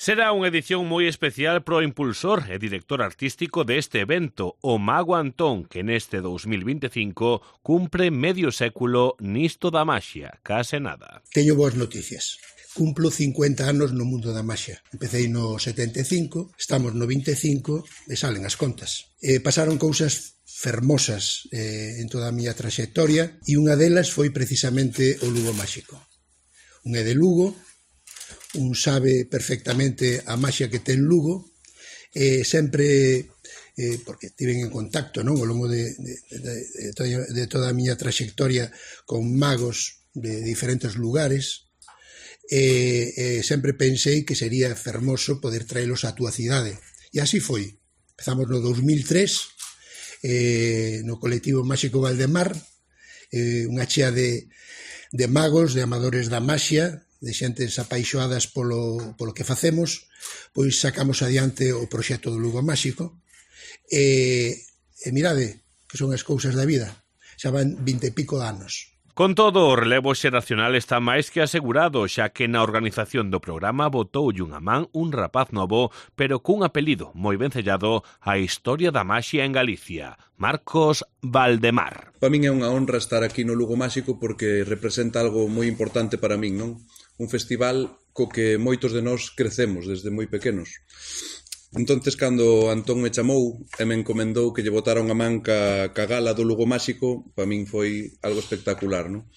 Será unha edición moi especial pro impulsor e director artístico deste evento, o Mago Antón, que neste 2025 cumpre medio século nisto da maxia, case nada. Teño boas noticias. Cumplo 50 anos no mundo da maxia. Empecé no 75, estamos no 25 e salen as contas. Pasaron cousas fermosas en toda a miña traxectoria e unha delas foi precisamente o Lugo Máxico. Un é de Lugo, un sabe perfectamente a maxia que ten Lugo, sempre, porque tiven en contacto, non, ao longo de toda a miña traxectoria con magos de diferentes lugares, sempre pensei que sería fermoso poder traelos á túa cidade. E así foi. Empezamos no 2003, no colectivo Máxico Valdemar, unha chea de magos, de amadores da maxia, de xentes apaixoadas polo que facemos, pois sacamos adiante o proxecto do Lugo Máxico e mirade que son as cousas da vida, xa van 20 e pico de anos. Con todo, o relevo xeracional está máis que asegurado, xa que na organización do programa botoulle unha man un rapaz novo, pero cun apelido moi vencellado á historia da maxia en Galicia, Marcos Valdemar. Para min é unha honra estar aquí no Lugo Máxico porque representa algo moi importante para min, non? Un festival co que moitos de nós crecemos desde moi pequenos. Entonces, cando Antón me chamou e me encomendou que lle botara unha man ca gala do Lugo Máxico, para min foi algo espectacular, non?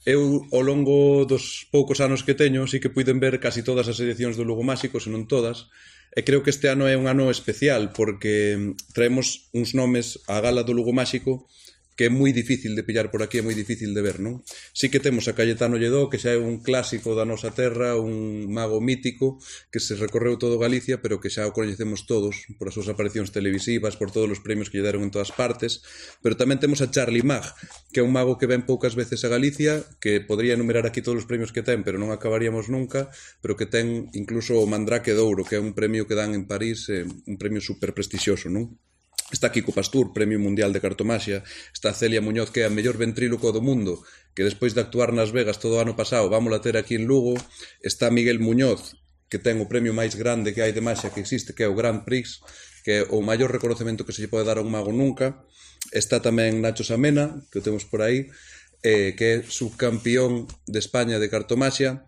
Eu, ao longo dos poucos anos que teño, sí que puiden ver casi todas as edicións do Lugo Máxico, se non todas, e creo que este ano é un ano especial, porque traemos uns nomes á gala do Lugo Máxico que é moi difícil de pillar por aquí, é moi difícil de ver, non? Sí que temos a Cayetano Lledó, que xa é un clásico da nosa terra, un mago mítico, que se recorreu todo Galicia, pero que xa o coñecemos todos, por as súas aparicións televisivas, por todos os premios que lle deron en todas partes, pero tamén temos a Charlie Mag, que é un mago que ven poucas veces a Galicia, que podría enumerar aquí todos os premios que ten, pero non acabaríamos nunca, pero que ten incluso o Mandrake de Ouro, que é un premio que dan en París, un premio super prestixioso, non? Está Kiko Pastur, Premio Mundial de Cartomaxia, está Celia Muñoz, que é a mellor ventríloco do mundo, que despois de actuar nas Vegas todo o ano pasado, vámola ter aquí en Lugo, está Miguel Muñoz, que ten o premio máis grande que hai de maxia que existe, que é o Grand Prix, que é o maior reconocemento que se lle pode dar a un mago nunca, está tamén Nacho Samena, que o temos por aí, que é subcampión de España de cartomaxia,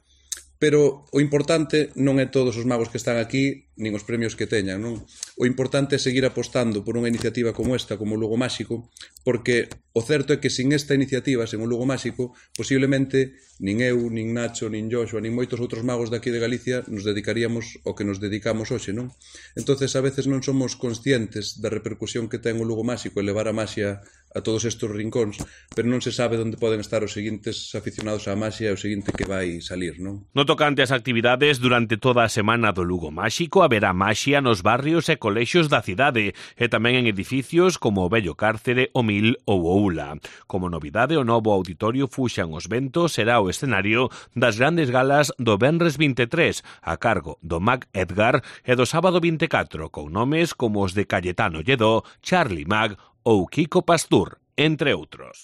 pero o importante non é todos os magos que están aquí, nin os premios que teñan, non? O importante é seguir apostando por unha iniciativa como esta, como o Lugo Máxico, porque o certo é que sin esta iniciativa, sen o Lugo Máxico, posiblemente nin eu, nin Nacho, nin Joshua, nin moitos outros magos daqui de Galicia nos dedicaríamos ao que nos dedicamos hoxe, non? Entonces, a veces non somos conscientes da repercusión que ten o Lugo Máxico e levar a maxia a todos estes rincóns, pero non se sabe onde poden estar os seguintes aficionados á maxia e o seguinte que vai salir, non? No tocante ás actividades, durante toda a semana do Lugo Máxico haberá maxia nos barrios e colexios da cidade e tamén en edificios como o Vello Cárcere, o Mil ou o Ula. Como novidade, o novo auditorio Fuxan os Ventos será o escenario das grandes galas do Venres 23, a cargo do Mag Edgar e do sábado 24, con nomes como os de Cayetano Lledó, Charlie Mag ou Kiko Pastur, entre outros.